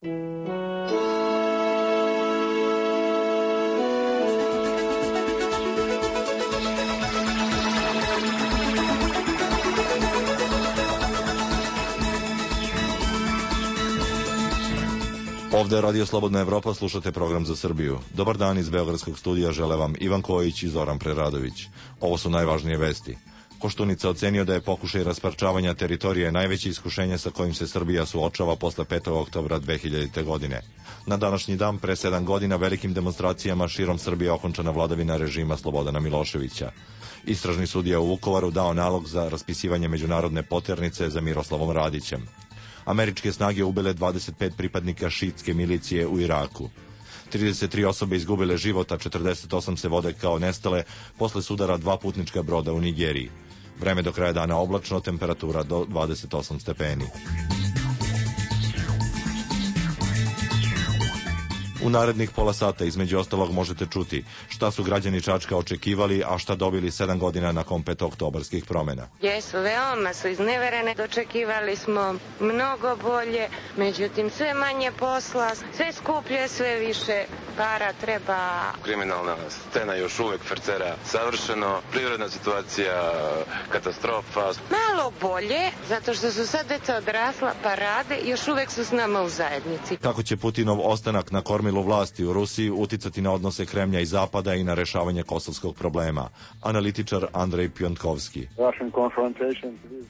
Ovde je Radio Slobodna Evropa, slušate program za Srbiju. Dobar dan iz Beogradskog studija, žele vam Ivan Kojić i Zoran Preradović. Ovo su najvažnije vesti. Koštunica ocenio da je pokušaj rasparčavanja teritorije najveće iskušenje sa kojim se Srbija suočava posle 5. oktobra 2000. godine. Na današnji dan, pre 7 godina, velikim demonstracijama širom Srbije okončana vladavina režima Slobodana Miloševića. Istražni sudija u Vukovaru dao nalog za raspisivanje međunarodne poternice za Miroslavom Radićem. Američke snage ubile 25 pripadnika šiitske milicije u Iraku. 33 osobe izgubile život, a 48 se vode kao nestale posle sudara 2 putnička broda u Nigeriji. Vreme do kraja dana oblačno, temperatura do 28 stepeni. U narednih pola sata između ostalog možete čuti šta su građani Čačka očekivali, a šta dobili 7 godina nakon petooktobarskih promena. Jesu, veoma su izneverene, dočekivali smo mnogo bolje, međutim sve manje posla, sve skuplje, sve više para treba. Kriminalna scena još uvek fercera savršeno, privredna situacija katastrofa. Malo bolje, zato što su sad deca odrasla pa rade, još uvek su s nama u zajednici. Kako će Putinov ostanak na kormilu vlasti u Rusiji uticati na odnose Kremlja i Zapada i na rešavanje kosovskog problema? Analitičar Andrej Pjontkovski.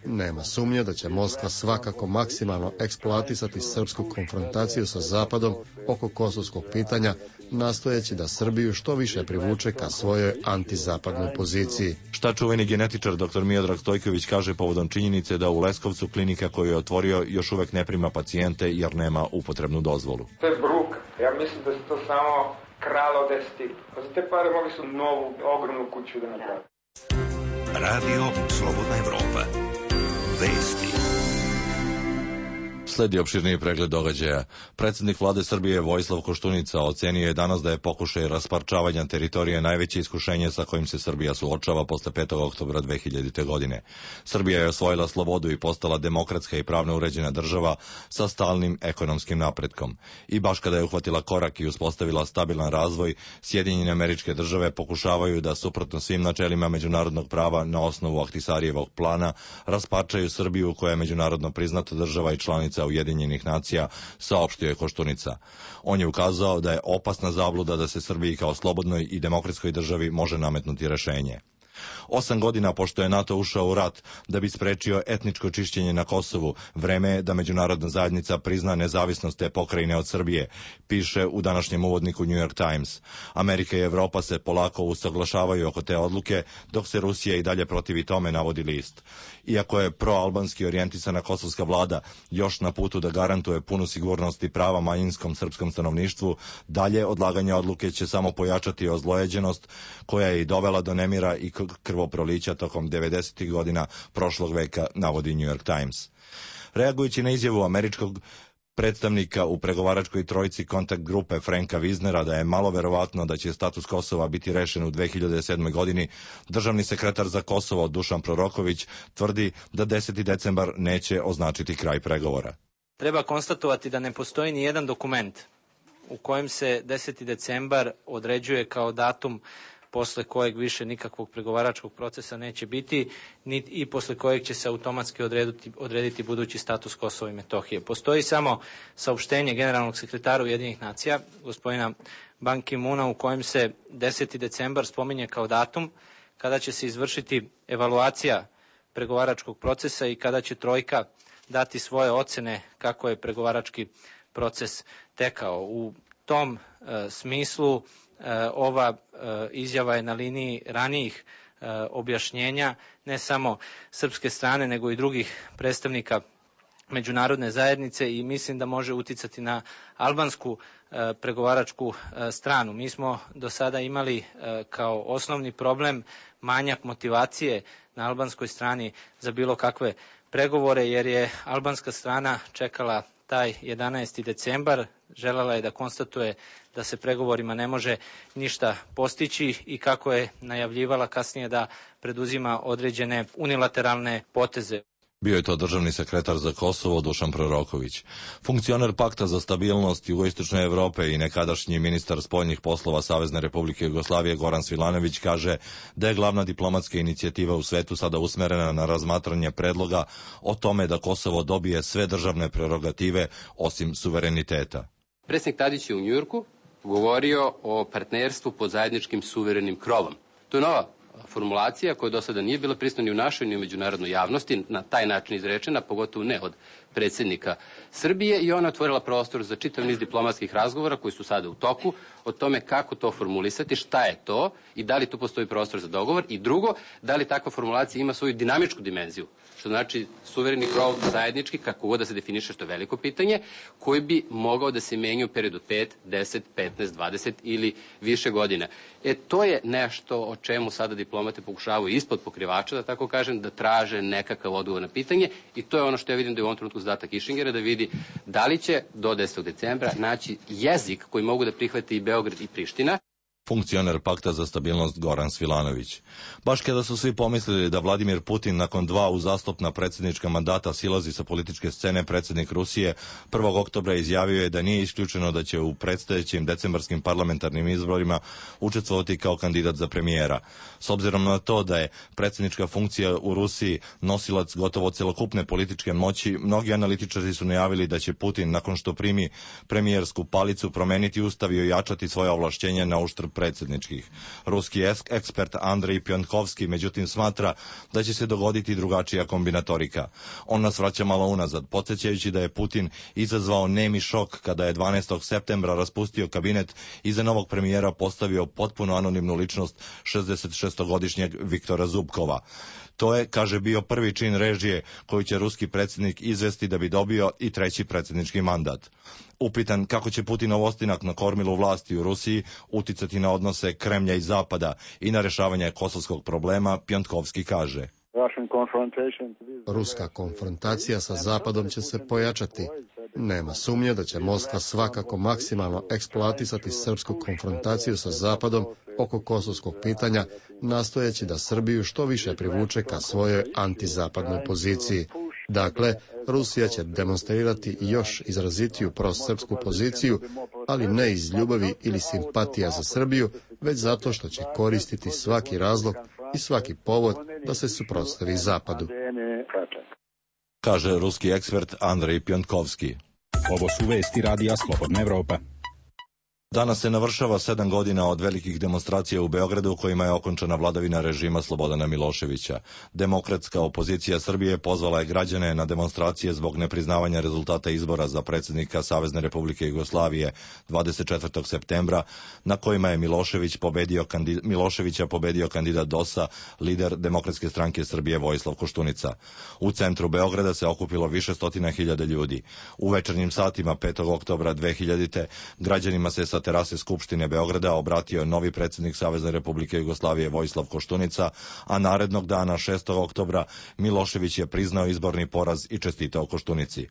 Nema sumnje da će Moskva svakako maksimalno eksploatisati srpsku konfrontaciju sa Zapadom oko kosovskog pitanja, nastojeći da Srbiju što više privuče ka svojoj antizapadnoj poziciji. Šta čuveni genetičar dr. Miodrag Stojković kaže povodom činjenice da u Leskovcu klinika koju je otvorio još uvek ne prima pacijente jer nema upotrebnu dozvolu? To je bruka. Ja mislim da se to samo kralo deseti. Za te pare mogli su novu, ogromnu kuću da napravi. Radio Slobodna Evropa. Vesti. Sledi opširniji pregled događaja. Predsjednik vlade Srbije Vojislav Koštunica ocenio je danas da je pokušaj rasparčavanja teritorije najveće iskušenje sa kojim se Srbija suočava posle 5. oktobra 2000. godine. Srbija je osvojila slobodu i postala demokratska i pravno uređena država sa stalnim ekonomskim napretkom. I baš kada je uhvatila korak i uspostavila stabilan razvoj, Sjedinjene Američke Države pokušavaju da, suprotno svim načelima međunarodnog prava na osnovu Ahtisarijevog plana, rasparčaju Srbiju koja je međunarodno priznata država i članica Ujedinjenih nacija, saopštio je Koštunica. On je ukazao da je opasna zabluda da se Srbiji kao slobodnoj i demokratskoj državi može nametnuti rešenje. 8 godina pošto je NATO ušao u rat da bi sprečio etničko čišćenje na Kosovu, vreme je da međunarodna zajednica prizna nezavisnost te pokrajine od Srbije, piše u današnjem uvodniku New York Times. Amerika i Evropa se polako usaglašavaju oko te odluke, dok se Rusija i dalje protivi tome, navodi list. Iako je proalbanski orijentisana kosovska vlada još na putu da garantuje punu sigurnost i prava manjinskom srpskom stanovništvu, dalje odlaganje odluke će samo pojačati ozlojeđenost koja je i dovela do nemira i krvoprolića tokom 90. godina prošlog veka, navodi New York Times. Reagujući na izjavu američkog predstavnika u pregovaračkoj trojici kontakt grupe Franka Wiznera da je malo verovatno da će status Kosova biti rešen u 2007. godini, državni sekretar za Kosovo Dušan Proroković tvrdi da 10. decembar neće označiti kraj pregovora. Treba konstatovati da ne postoji ni jedan dokument u kojem se 10. decembar određuje kao datum posle kojeg više nikakvog pregovaračkog procesa neće biti, i posle kojeg će se automatski odrediti budući status Kosova i Metohije. Postoji samo saopštenje generalnog sekretara Ujedinjenih nacija, gospodina Ban Ki-moona, u kojem se 10. decembar spominje kao datum kada će se izvršiti evaluacija pregovaračkog procesa i kada će trojka dati svoje ocene kako je pregovarački proces tekao. U tom smislu ova izjava je na liniji ranijih objašnjenja ne samo srpske strane nego i drugih predstavnika međunarodne zajednice i mislim da može uticati na albansku pregovaračku stranu. Mi smo do sada imali kao osnovni problem manjak motivacije na albanskoj strani za bilo kakve pregovore, jer je albanska strana čekala taj 11. decembar, želela je da konstatuje da se pregovorima ne može ništa postići i kako je najavljivala kasnije da preduzima određene unilateralne poteze. Bio je to državni sekretar za Kosovo Dušan Proroković. Funkcioner Pakta za stabilnost Jugoistočne Evrope i nekadašnji ministar spoljnih poslova Savezne Republike Jugoslavije Goran Svilanović kaže da je glavna diplomatska inicijativa u svetu sada usmerena na razmatranje predloga o tome da Kosovo dobije sve državne prerogative osim suvereniteta. Predsjednik Tadić je u Njujorku govorio o partnerstvu pod zajedničkim suverenim krovom. To je nova formulacija koja do sada nije bila prisutna ni u našoj ni u međunarodnoj javnosti, na taj način izrečena, pogotovo ne od predsjednika Srbije, i ona otvorila prostor za čitav niz diplomatskih razgovora koji su sada u toku o tome kako to formulisati, šta je to i da li tu postoji prostor za dogovor, i drugo, da li takva formulacija ima svoju dinamičku dimenziju, što znači suvereni krov zajednički, kako god da se definiše, što je veliko pitanje, koji bi mogao da se menja u periodu 5, 10, 15, 20 ili više godina. To je nešto o čemu sada diplomate pokušavaju ispod pokrivača, da tako kažem, da traže nekakav odgovor na pitanje, i to je ono što ja vidim da je u ovom trenutku zadatak Kišingera, da vidi da li će do 10. decembra naći jezik koji mogu da prihvati i Beograd i Priština. Funkcioner Pakta za stabilnost Goran Svilanović. Baš kada su svi pomislili da Vladimir Putin nakon 2 uzastopna predsjednička mandata silazi sa političke scene, predsjednik Rusije 1. oktobra izjavio je da nije isključeno da će u predstojećim decembarskim parlamentarnim izborima učestvovati kao kandidat za premijera. S obzirom na to da je predsjednička funkcija u Rusiji nosilac gotovo celokupne političke moći, mnogi analitičari su najavili da će Putin, nakon što primi premijersku palicu, promeniti ustav i ojačati svoje ovlašćenja na uštrb predsjedničkih. Ruski ekspert Andrej Pjonkovski međutim smatra da će se dogoditi drugačija kombinatorika. On nas vraća malo unazad, podsjećajući da je Putin izazvao nemi šok kada je 12. septembra raspustio kabinet i za novog premijera postavio potpuno anonimnu ličnost 66-godišnjeg Viktora Zubkova. To je, kaže, bio prvi čin režije koju će ruski predsjednik izvesti da bi dobio i treći predsjednički mandat. Upitan kako će Putinov ostanak na kormilu vlasti u Rusiji uticati na odnose Kremlja i Zapada i na rješavanje kosovskog problema, Pjontkovski kaže: Ruska konfrontacija sa Zapadom će se pojačati. Nema sumnje da će Moskva svakako maksimalno eksploatisati srpsku konfrontaciju sa Zapadom oko kosovskog pitanja, nastojeći da Srbiju što više privuče ka svojoj antizapadnoj poziciji. Dakle, Rusija će demonstrirati još izrazitiju prosrpsku poziciju, ali ne iz ljubavi ili simpatija za Srbiju, već zato što će koristiti svaki razlog i svaki povod da se suprotstavi Zapadu. Kaže ruski ekspert Andrej Pjontkovski. Ovo su vesti Radija Slobodna Evropa. Danas se navršava 7 godina od velikih demonstracija u Beogradu u kojima je okončana vladavina režima Slobodana Miloševića. Demokratska opozicija Srbije pozvala je građane na demonstracije zbog nepriznavanja rezultata izbora za predsjednika Savezne Republike Jugoslavije 24. septembra, na kojima je Miloševića pobedio kandidat DOS-a, lider Demokratske stranke Srbije Vojislav Koštunica. U centru Beograda se okupilo više stotina hiljada ljudi. U večernjim satima 5. oktobra 2000. građanima se sa terase Skupštine Beograda obratio novi predsjednik Savezne Republike Jugoslavije Vojislav Koštunica, a narednog dana 6. oktobra Milošević je priznao izborni poraz i čestitao Koštunici.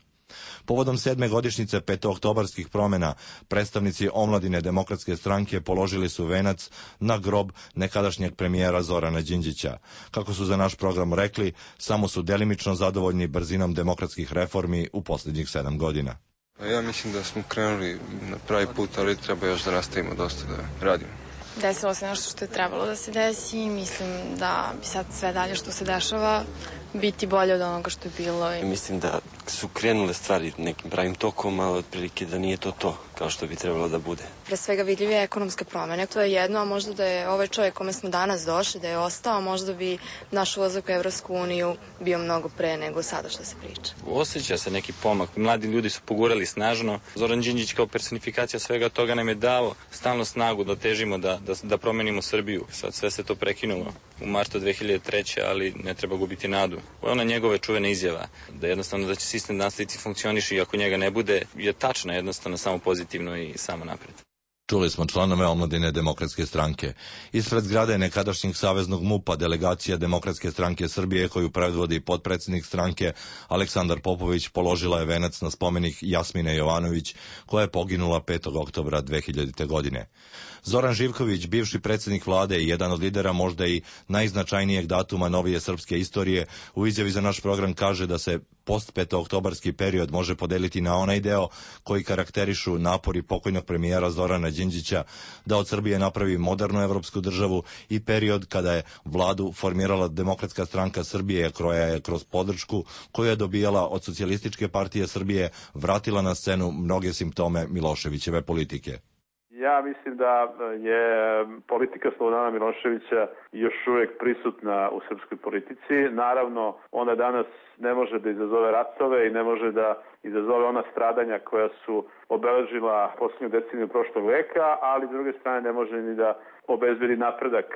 Povodom 7. godišnjice petooktobarskih promjena, predstavnici omladine Demokratske stranke položili su venac na grob nekadašnjeg premijera Zorana Đinđića. Kako su za naš program rekli, samo su delimično zadovoljni brzinom demokratskih reformi u posljednjih 7 godina. Ja mislim da smo krenuli na pravi put, ali treba još da nastavimo dosta da radimo. Desilo se nešto što je trebalo da se desi i mislim da bi sad sve dalje što se dešava biti bolje od onoga što je bilo. Mislim da su krenule stvari nekim pravim tokom, ali otprilike da nije to kao što bi trebalo da bude. Pre svega vidljive ekonomske promene. To je jedno, a možda da je ovaj čovjek kome smo danas došli, da je ostao, možda bi naš ulazak u Evropsku uniju bio mnogo pre nego sada što se priča. Osjeća se neki pomak. Mladi ljudi su pogurali snažno. Zoran Đinđić kao personifikacija svega toga nam je dao stalno snagu da težimo da promenimo Srbiju. Sad sve se to prekinulo u martu 2003. ali ne treba gubiti nadu. Ona njegove čuvena izjava da jednostavno da će sistem nastaviti funkcioniši i ako njega ne bude je tačna, jednostavno samo pozitivno i samo napred. Čuli smo članove omladine Demokratske stranke. Ispred zgrade nekadašnjeg saveznog MUP-a delegacija Demokratske stranke Srbije, koju predvodi potpredsjednik stranke Aleksandar Popović, položila je venac na spomenik Jasmine Jovanović, koja je poginula 5. oktobra 2000. godine. Zoran Živković, bivši predsjednik vlade i jedan od lidera možda i najznačajnijeg datuma novije srpske istorije, u izjavi za naš program kaže da se post-petooktobarski period može podeliti na onaj deo koji karakterišu napori pokojnog premijera Zorana Đinđića da od Srbije napravi modernu evropsku državu i period kada je vladu formirala Demokratska stranka Srbije, koja je kroz podršku koju je dobijala od Socijalističke partije Srbije vratila na scenu mnoge simptome Miloševićeve politike. Ja mislim da je politika Slobodana Miloševića još uvijek prisutna u srpskoj politici. Naravno, ona danas ne može da izazove ratove i ne može da izazove ona stradanja koja su obeležila posljednju deceniju prošlog veka, ali s druge strane ne može ni da obezbedi napredak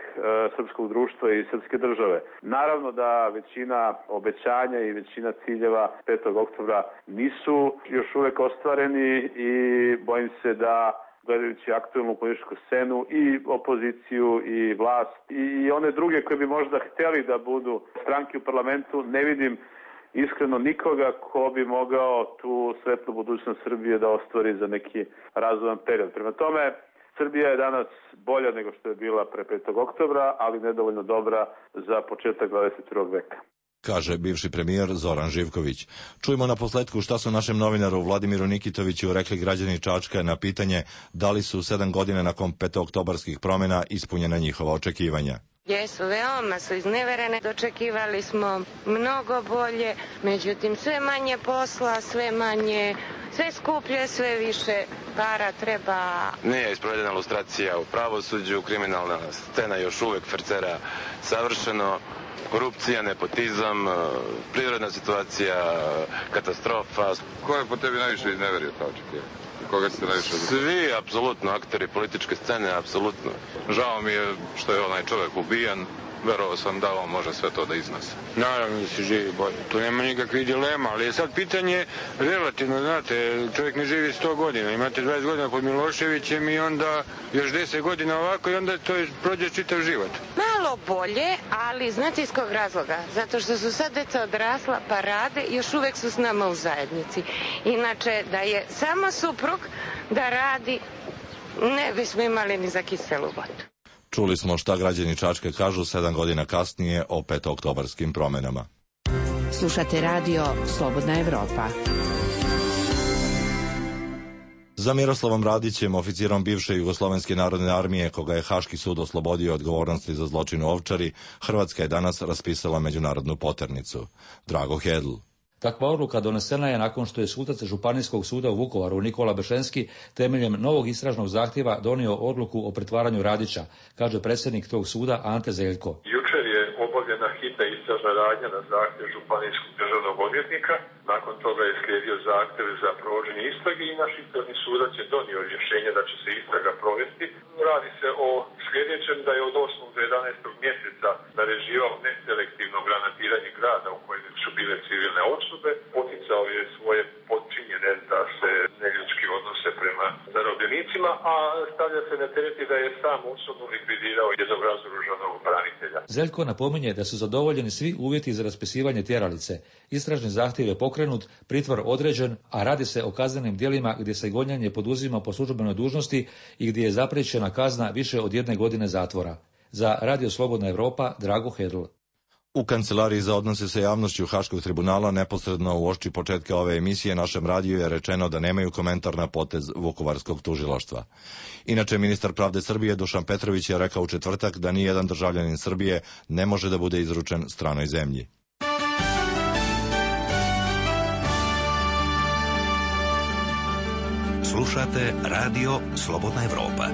srpskog društva i srpske države. Naravno da većina obećanja i većina ciljeva 5. oktobra nisu još uvijek ostvareni i bojim se da gledajući aktualnu političku scenu i opoziciju i vlast i one druge koje bi možda htjeli da budu stranke u parlamentu, ne vidim iskreno nikoga ko bi mogao tu svetlu budućnost Srbije da ostvari za neki razvojan period. Prema tome, Srbija je danas bolja nego što je bila pre 5. oktobra, ali nedovoljno dobra za početak 21. veka, kaže bivši premijer Zoran Živković. Čujemo na posledku šta su našem novinaru Vladimiru Nikitoviću rekli građani Čačka na pitanje da li su 7 godina nakon petooktobarskih promjena ispunjena njihova očekivanja. Jesu, veoma su izneverene, dočekivali smo mnogo bolje, međutim sve manje posla, sve skuplje, sve više para treba. Nije isprovedena lustracija u pravosuđu, kriminalna scena još uvek fercera savršeno, korupcija, nepotizam, privredna situacija, katastrofa. Ko je po tebi najviše izneverio ta očekivanja? Koga ste najviše? Svi, apsolutno, akteri političke scene, apsolutno. Žao mi je što je onaj čovjek ubijan. Verovao sam da on može sve to da iznose. Naravno da se živi bolje. Tu nema nikakvih dilema, ali je sad pitanje relativno, znate, čovjek ne živi 100 godina. Imate 20 godina pod Miloševićem i onda još 10 godina ovako i onda to prođe čitav život. Malo bolje, ali znate iz kog razloga? Zato što su sad deca odrasla pa rade i još uvek su s nama u zajednici. Inače, da je samo suprug da radi, ne bismo imali ni za kiselu vodu. Čuli smo šta građani Čačka kažu 7 godina kasnije o petooktobarskim promjenama. Slušate radio Slobodna Evropa. Za Miroslavom Radićem, oficirom bivše Jugoslovenske narodne armije, koga je Haški sud oslobodio odgovornosti za zločin u Ovčari, Hrvatska je danas raspisala međunarodnu poternicu. Drago Hedl. Takva odluka donesena je nakon što je sudac Županijskog suda u Vukovaru Nikola Bešenski temeljem novog istražnog zahtjeva donio odluku o pretvaranju Radića, kaže predsjednik tog suda Ante Zeljko. Jučer je obavljena hitna istražna radnja na zahtjev Županijskog državnog odvjetnika. Nakon toga je slijedio zahtjev za provođenje istrage i naš istražni sudac je donio rješenje da će se istraga provesti. Radi se o sljedećem da je od 8. do 11. mjeseca naređivao neselektivno granatiranje grada u kojem su bile civilne osobe. Poticao je svoje podčinjene da se neljudski odnose prema zarobljenicima, a stavlja se na teret da je sam osobno likvidirao jednog razoružanog branitelja. Zeljko napominje da su zadovoljeni svi uvjeti za raspisivanje tjeralice. Istražni zahtjev je pokrenut, pritvor određen, a radi se o kaznenim djelima gdje se gonjanje poduzima po službenoj dužnosti i gdje je zapriječena kazna više od 1 godine zatvora. Za Radio Slobodna Evropa, Drago Hedl. U Kancelariji za odnose sa javnošću Haškog tribunala neposredno uoči početka ove emisije našem radiju je rečeno da nemaju komentar na potez Vukovarskog tužilaštva. Inače, ministar pravde Srbije Dušan Petrović je rekao u četvrtak da nijedan državljanin Srbije ne može da bude izručen stranoj zemlji. Slušate Radio Slobodna Evropa.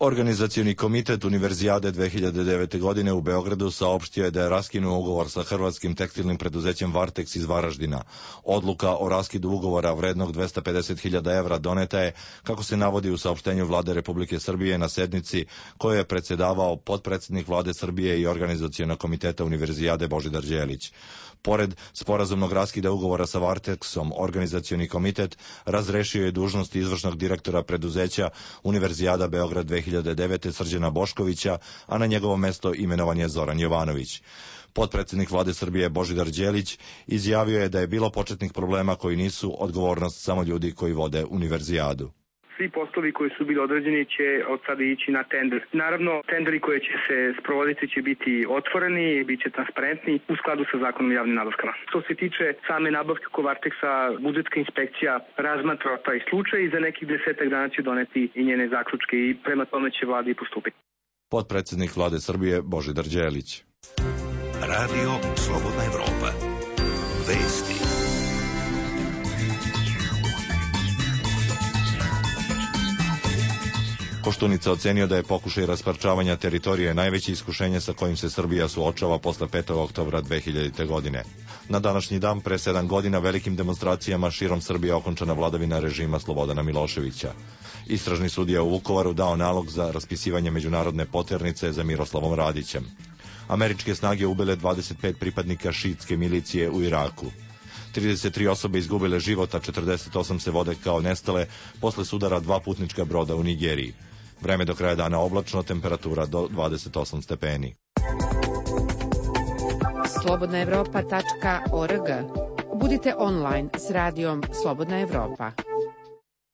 Organizacioni komitet Univerzijade 2009. godine u Beogradu saopštio je da je raskinuo ugovor sa hrvatskim tekstilnim preduzećem Varteks iz Varaždina. Odluka o raskidu ugovora vrednog 250.000 evra doneta je, kako se navodi u saopštenju Vlade Republike Srbije na sednici koju je predsjedavao potpredsjednik Vlade Srbije i Organizacionog komiteta Univerzijade Božidar Đelić. Pored sporazumnog raskida ugovora sa Varteksom, Organizacioni komitet razrešio je dužnosti izvršnog direktora preduzeća Univerzijada Beograd 2009. Srđana Boškovića, a na njegovo mesto imenovan je Zoran Jovanović. Potpredsjednik Vlade Srbije Božidar Đelić izjavio je da je bilo početnih problema koji nisu odgovornost samo ljudi koji vode Univerzijadu. Svi poslovi koji su bili određeni će od sada ići na tender. Naravno, tenderi koji će se sprovoditi će biti otvoreni, bit će transparentni u skladu sa zakonom o javnim nabavkama. Što se tiče same nabavke oko Varteksa, budžetska inspekcija razmatra taj slučaj i za nekih 10 dana će doneti i njene zaključke i prema tome će vlada i postupiti. Potpredsjednik Vlade Srbije Božidar Đelić. Radio Slobodna Evropa. Vesti. Koštunica ocenio da je pokušaj rasparčavanja teritorije najveće iskušenje sa kojim se Srbija suočava posle 5. oktobra 2000. godine. Na današnji dan, pre 7 godina, velikim demonstracijama širom Srbije okončana vladavina režima Slobodana Miloševića. Istražni sudija u Vukovaru dao nalog za raspisivanje međunarodne poternice za Miroslavom Radićem. Američke snage ubile 25 pripadnika šiitske milicije u Iraku. 33 osobe izgubile život, a 48 se vode kao nestale posle sudara 2 putnička broda u Nigeriji. Vreme do kraja dana oblačno, temperatura do 28 stepeni. slobodnaevropa.org. Budite online s radijom Slobodna Evropa.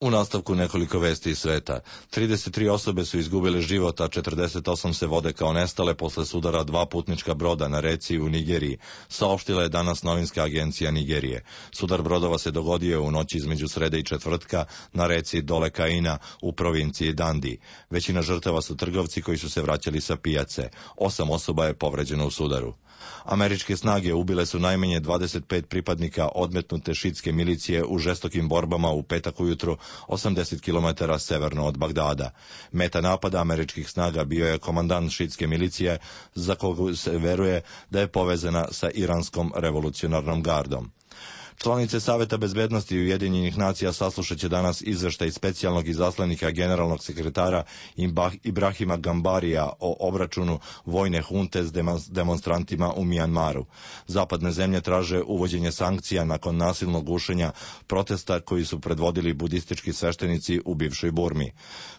U nastavku nekoliko vesti iz sveta. 33 osobe su izgubile život, a 48 se vode kao nestale posle sudara 2 putnička broda na reci u Nigeriji, saopštila je danas novinska agencija Nigerije. Sudar brodova se dogodio u noći između srede i četvrtka na reci Dole Kaina u provinciji Dandi. Većina žrtava su trgovci koji su se vraćali sa pijace. 8 osoba je povređeno u sudaru. Američke snage ubile su najmanje 25 pripadnika odmetnute šiitske milicije u žestokim borbama u petak ujutru 80 km severno od Bagdada. Meta napada američkih snaga bio je komandant šiitske milicije, za koga se veruje da je povezana sa iranskom revolucionarnom gardom. Članice Saveta bezbednosti Ujedinjenih nacija saslušat će danas izveštaj specijalnog izaslanika generalnog sekretara Ibrahima Gambarija o obračunu vojne hunte s demonstrantima u Mijanmaru. Zapadne zemlje traže uvođenje sankcija nakon nasilnog gušenja protesta koji su predvodili budistički sveštenici u bivšoj Burmi.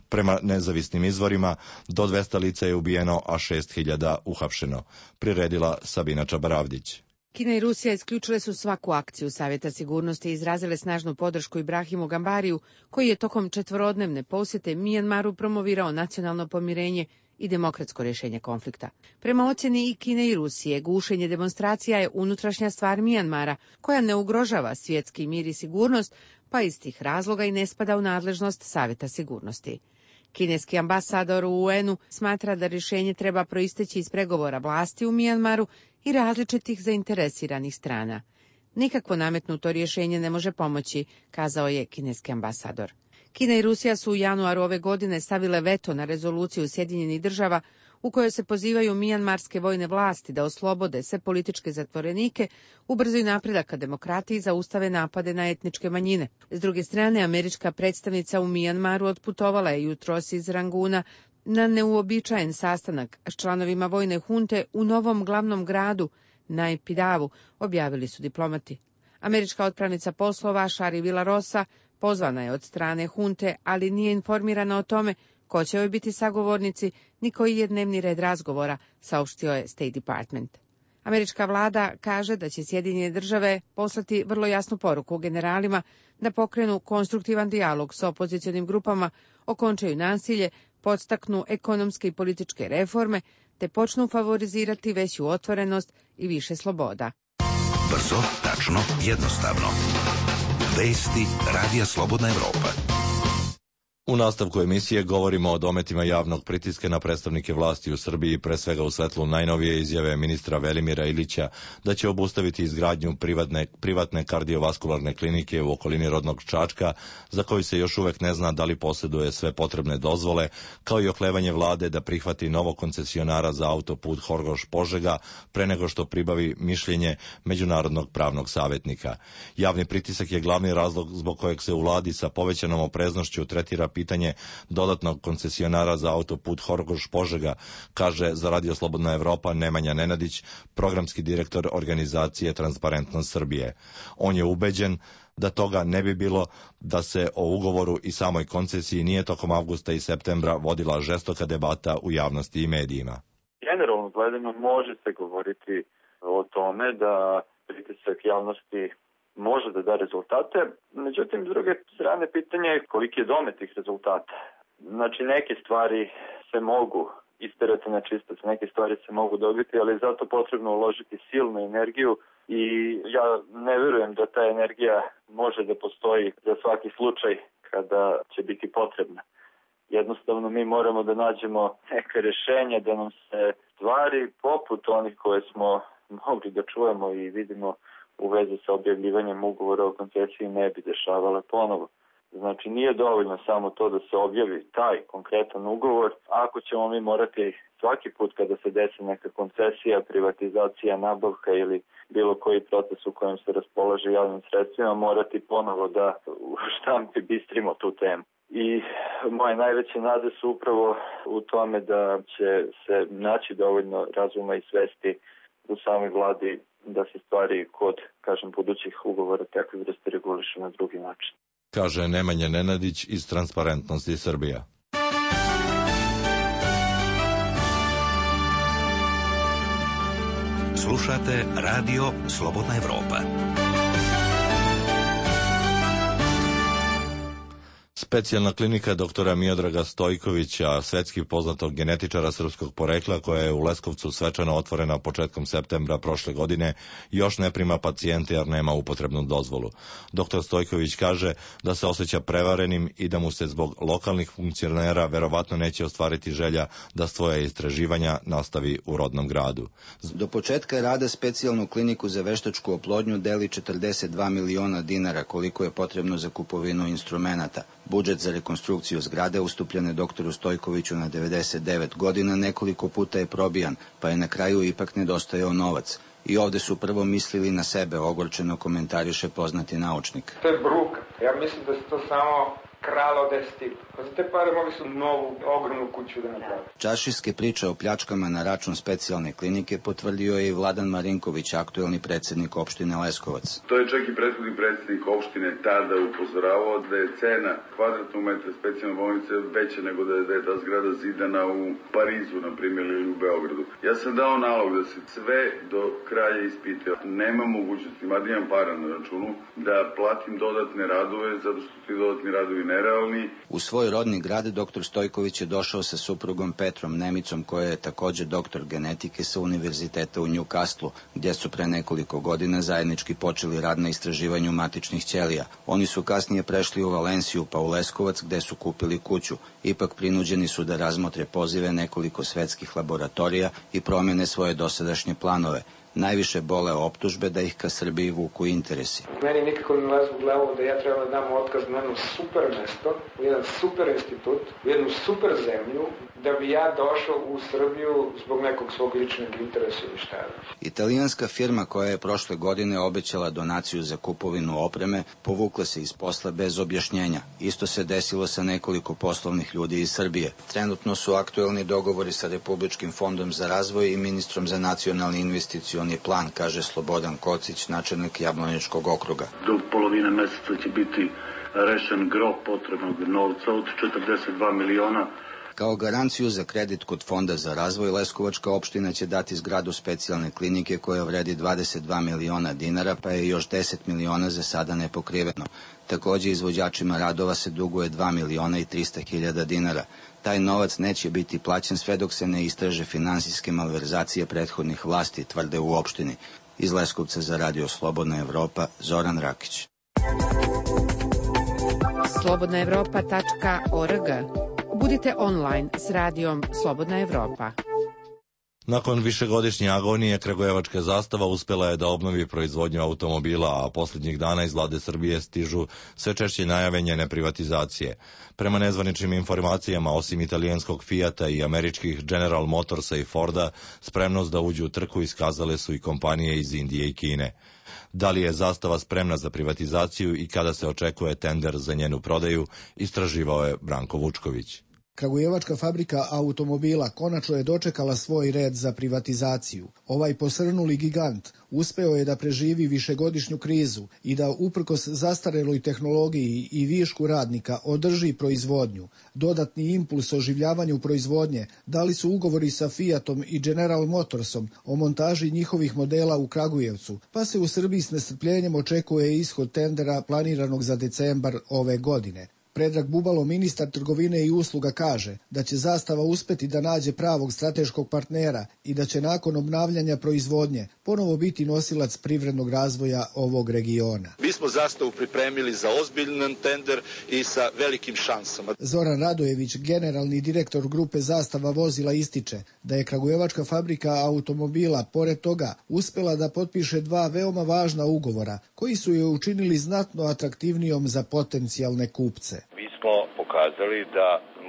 Prema nezavisnim izvorima, do 200 lica je ubijeno, a 6.000 uhapšeno. Priredila Sabina Čabaravdić. Kina i Rusija isključile su svaku akciju Savjeta sigurnosti i izrazile snažnu podršku Ibrahimu Gambariju, koji je tokom 4-dnevne posjete Mijanmaru promovirao nacionalno pomirenje i demokratsko rješenje konflikta. Prema ocjeni i Kine i Rusije, gušenje demonstracija je unutrašnja stvar Mijanmara, koja ne ugrožava svjetski mir i sigurnost, pa iz tih razloga i ne spada u nadležnost Savjeta sigurnosti. Kineski ambasador u UN-u smatra da rješenje treba proisteći iz pregovora vlasti u Mijanmaru i različitih zainteresiranih strana. Nikakvo nametnuto rješenje ne može pomoći, kazao je kineski ambasador. Kina i Rusija su u januaru ove godine stavile veto na rezoluciju Sjedinjenih država u kojoj se pozivaju mijanmarske vojne vlasti da oslobode sve političke zatvorenike, ubrzaju napredak ka demokratiji i zaustave napade na etničke manjine. S druge strane, američka predstavnica u Mijanmaru otputovala je jutros iz Ranguna na neuobičajen sastanak s članovima vojne hunte u novom glavnom gradu, Naypidavu, objavili su diplomati. Američka otpravnica poslova Shari Villarosa pozvana je od strane hunte, ali nije informirana o tome ko će joj biti sagovornici, ni koji je dnevni red razgovora, saopštio je State Department. Američka vlada kaže da će Sjedinjene države poslati vrlo jasnu poruku generalima da pokrenu konstruktivan dijalog s opozicionim grupama, okončaju nasilje, podstaknu ekonomske i političke reforme, te počnu favorizirati veću otvorenost i više sloboda. Brzo, tačno, jednostavno. Vesti Radija Slobodna Evropa. U nastavku emisije govorimo o dometima javnog pritiska na predstavnike vlasti u Srbiji, pre svega u svetlu najnovije izjave ministra Velimira Ilića da će obustaviti izgradnju privatne kardiovaskularne klinike u okolini rodnog Čačka, za koju se još uvek ne zna da li posjeduje sve potrebne dozvole, kao i oklevanje vlade da prihvati novog koncesionara za autoput Horgoš-Požega pre nego što pribavi mišljenje Međunarodnog pravnog savjetnika. Javni pritisak je glavni razlog zbog kojeg se u vladi sa povećanom opreznošću tretira pitanje dodatnog koncesionara za autoput Horgoš-Požega, kaže za Radio Slobodna Evropa Nemanja Nenadić, programski direktor organizacije Transparentnost Srbije. On je ubeđen da toga ne bi bilo da se o ugovoru i samoj koncesiji nije tokom avgusta i septembra vodila žestoka debata u javnosti i medijima. Generalno gledano može se govoriti o tome da pritisak javnosti može da da rezultate, međutim, s druge strane, pitanje je koliki je domet tih rezultata. Znači, neke stvari se mogu isterati na čistac, neke stvari se mogu dobiti, ali je zato potrebno uložiti silnu energiju i ja ne verujem da ta energija može da postoji za svaki slučaj kada će biti potrebna. Jednostavno, mi moramo da nađemo neke rešenja da nam se stvari poput onih koje smo mogli da čujemo i vidimo u vezi sa objavljivanjem ugovora o koncesiji ne bi dešavale ponovo. Znači, nije dovoljno samo to da se objavi taj konkretan ugovor. Ako ćemo mi morati svaki put kada se desi neka koncesija, privatizacija, nabavka ili bilo koji proces u kojem se raspolaže javnim sredstvima, morati ponovo da u štampi bistrimo tu temu. I moje najveće nade su upravo u tome da će se naći dovoljno razuma i svesti u samoj vladi da se stvari kod, budućih ugovora takve vrste regulišu na drugi način. Kaže Nemanja Nenadić iz Transparentnosti Srbija. Slušate Radio Slobodna Evropa. Specijalna klinika doktora Miodraga Stojkovića, svetski poznatog genetičara srpskog porekla, koja je u Leskovcu svečano otvorena početkom septembra prošle godine, još ne prima pacijente jer nema upotrebnu dozvolu. Doktor Stojković kaže da se osjeća prevarenim i da mu se zbog lokalnih funkcionera verovatno neće ostvariti želja da svoje istraživanja nastavi u rodnom gradu. Do početka rada specijalnu kliniku za veštačku oplodnju deli 42 miliona dinara, koliko je potrebno za kupovinu instrumenata. Budžet za rekonstrukciju zgrade ustupljen je doktoru Stojkoviću na 99 godina, nekoliko puta je probijan, pa je na kraju ipak nedostajao novac. I ovde su prvo mislili na sebe, ogorčeno komentariše poznati naučnik. To je bruka. Ja mislim da se to samo kralo deseti. Za te pare mogli su novu, ogromnu kuću da napravi. Čaršijske priče o pljačkama na račun specijalne klinike potvrdio je i Vladan Marinković, aktuelni predsjednik opštine Leskovac. To je čak i prethodni predsjednik opštine tada upozoravao da je cena kvadratnog metra specijalne bolnice veća nego da je ta zgrada zidana u Parizu, na primjer, ili u Beogradu. Ja sam dao nalog da se sve do kraja ispite. Nema mogućnosti, mada imam para na računu, da platim dodatne radove, zato što ti dodatni radovi nerealni. U svoj rodni grad doktor Stojković je došao sa suprugom Petrom Nemicom, koja je također doktor genetike sa univerziteta u Newcastlu, gdje su pre nekoliko godina zajednički počeli rad na istraživanju matičnih ćelija. Oni su kasnije prešli u Valenciju pa u Leskovac, gde su kupili kuću. Ipak prinuđeni su da razmotre pozive nekoliko svetskih laboratorija i promene svoje dosadašnje planove. Najviše bole optužbe da ih ka Srbiji vuku interesi. Meni nikako ne ulazi u glavu da ja treba da dam otkaz na jedno super mesto, u jedan super institut, u jednu super zemlju, da bi ja došao u Srbiju zbog nekog svog ličnog interesa ili šta je. Italijanska firma koja je prošle godine obećala donaciju za kupovinu opreme povukla se iz posla bez objašnjenja. Isto se desilo sa nekoliko poslovnih ljudi iz Srbije. Trenutno su aktuelni dogovori sa Republičkim fondom za razvoj i ministrom za nacionalni investicioni plan, kaže Slobodan Kocić, načelnik Jablaničkog okruga. Do polovine meseca će biti rešen gro potrebnog novca od 42 miliona. Kao garanciju za kredit kod Fonda za razvoj, Leskovačka opština će dati zgradu specijalne klinike koja vredi 22 miliona dinara, pa je još 10 miliona za sada nepokriveno. Također izvođačima radova se duguje 2 miliona i 300 hiljada dinara. Taj novac neće biti plaćen sve dok se ne istraže finansijske malverzacije prethodnih vlasti, tvrde u opštini. Iz Leskovca za Radio Slobodna Evropa, Zoran Rakić. slobodnaevropa.org. Budite online s radijom Slobodna Evropa. Nakon višegodišnje agonije, kragujevačka zastava uspjela je da obnovi proizvodnju automobila, a posljednjih dana iz vlade Srbije stižu sve češće najave njene privatizacije. Prema nezvaničnim informacijama, osim italijanskog Fijata i američkih General Motorsa i Forda, spremnost da uđu u trku iskazale su i kompanije iz Indije i Kine. Da li je zastava spremna za privatizaciju i kada se očekuje tender za njenu prodaju, istraživao je Branko Vučković. Kragujevačka fabrika automobila konačno je dočekala svoj red za privatizaciju. Ovaj posrnuli gigant uspeo je da preživi višegodišnju krizu i da uprkos zastareloj tehnologiji i višku radnika održi proizvodnju. Dodatni impuls oživljavanju proizvodnje dali su ugovori sa Fiatom i General Motorsom o montaži njihovih modela u Kragujevcu, pa se u Srbiji s nestrpljenjem očekuje ishod tendera planiranog za decembar ove godine. Predrag Bubalo, ministar trgovine i usluga, kaže da će zastava uspeti da nađe pravog strateškog partnera i da će nakon obnavljanja proizvodnje ponovo biti nosilac privrednog razvoja ovog regiona. Mi smo zastavu pripremili za ozbiljan tender i sa velikim šansama. Zoran Radojević, generalni direktor grupe Zastava vozila, ističe da je kragujevačka fabrika automobila pored toga uspela da potpiše dva veoma važna ugovora koji su je učinili znatno atraktivnijom za potencijalne kupce. Mi smo pokazali da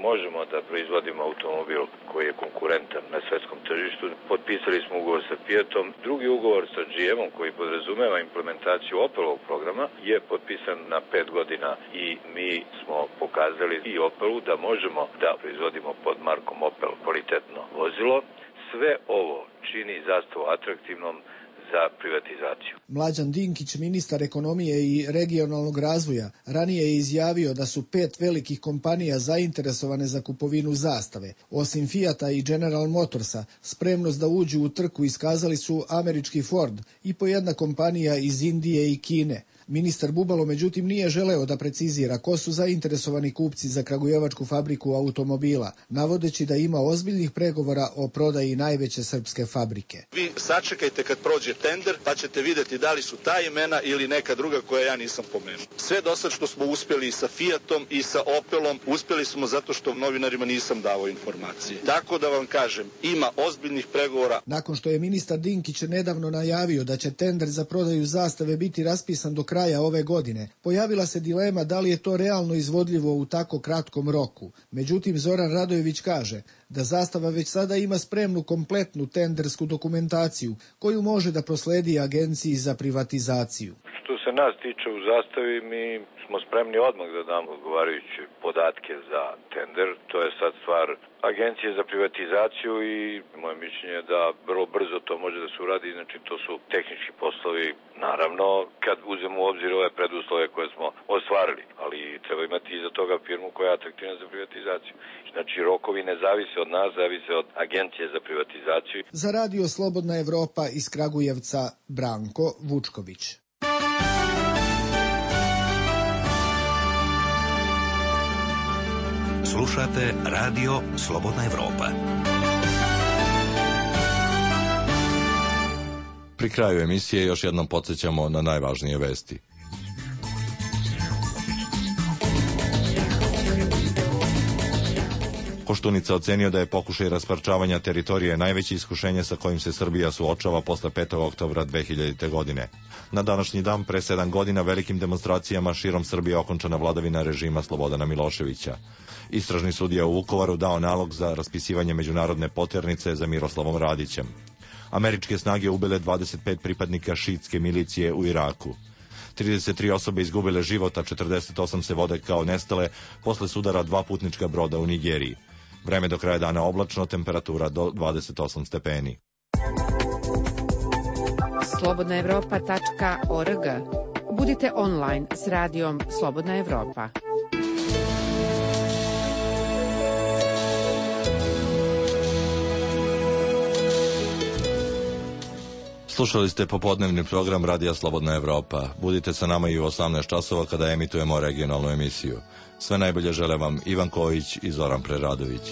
možemo da proizvodimo automobil koji je konkurentan na svetskom tržištu. Potpisali smo ugovor sa Fiatom. Drugi ugovor sa GM-om koji podrazumeva implementaciju Opelovog programa je potpisan na 5 godina i mi smo pokazali i Opelu da možemo da proizvodimo pod markom Opel kvalitetno vozilo. Sve ovo čini zastavu atraktivnom za privatizaciju. Mlađan Dinkić, ministar ekonomije i regionalnog razvoja, ranije je izjavio da su 5 velikih kompanija zainteresovane za kupovinu zastave. Osim Fijata i General Motorsa, spremnost da uđu u trku iskazali su američki Ford i po jedna kompanija iz Indije i Kine. Ministar Bubalo, međutim, nije želeo da precizira ko su zainteresovani kupci za kragujevačku fabriku automobila, navodeći da ima ozbiljnih pregovora o prodaji najveće srpske fabrike. Vi sačekajte kad prođe tender, pa ćete vidjeti da li su ta imena ili neka druga koja ja nisam pomenuo. Sve do sad što smo uspjeli i sa Fiatom i sa Opelom, uspjeli smo zato što novinarima nisam dao informacije. Tako da vam kažem, ima ozbiljnih pregovora. Nakon što je ministar Dinkić nedavno najavio da će tender za prodaju zastave biti raspisan do kraja ove godine, pojavila se dilema da li je to realno izvodljivo u tako kratkom roku. Međutim, Zoran Radojević kaže da zastava već sada ima spremnu kompletnu tendersku dokumentaciju koju može da prosledi Agenciji za privatizaciju. Što se nas tiče u zastavi, mi smo spremni odmah da damo odgovarajuće podatke za tender. To je sad stvar Agencije za privatizaciju i moje mišljenje je da vrlo brzo to može da se uradi, znači to su tehnički poslovi, naravno kad uzmemo u obzir ove preduslove koje smo ostvarili, ali treba imati iza toga firmu koja je atraktivna za privatizaciju. Znači rokovi ne zavise od nas, zavise od Agencije za privatizaciju. Za Radio Slobodna Evropa iz Kragujevca, Branko Vučković. Slušate Radio Slobodna Evropa. Pri kraju emisije još jednom podsjećamo na najvažnije vesti. Koštunica ocenio da je pokušaj rasparčavanja teritorije najveće iskušenje sa kojim se Srbija suočava posle 5. oktobra 2000. godine. Na današnji dan, pre 7 godina, velikim demonstracijama širom Srbije okončana vladavina režima Slobodana Miloševića. Istražni sudija u Vukovaru dao nalog za raspisivanje međunarodne poternice za Miroslavom Radićem. Američke snage ubile 25 pripadnika šiitske milicije u Iraku. 33 osobe izgubile život, a 48 se vode kao nestale posle sudara 2 putnička broda u Nigeriji. Vreme do kraja dana oblačno, temperatura do 28 stepeni. slobodnaevropa.org. Budite online s radijom Slobodna Evropa. Slušali ste popodnevni program Radija Slobodna Evropa. Budite sa nama i u 18 časova kada emitujemo regionalnu emisiju. Sve najbolje žele vam Ivan Kojić i Zoran Preradović.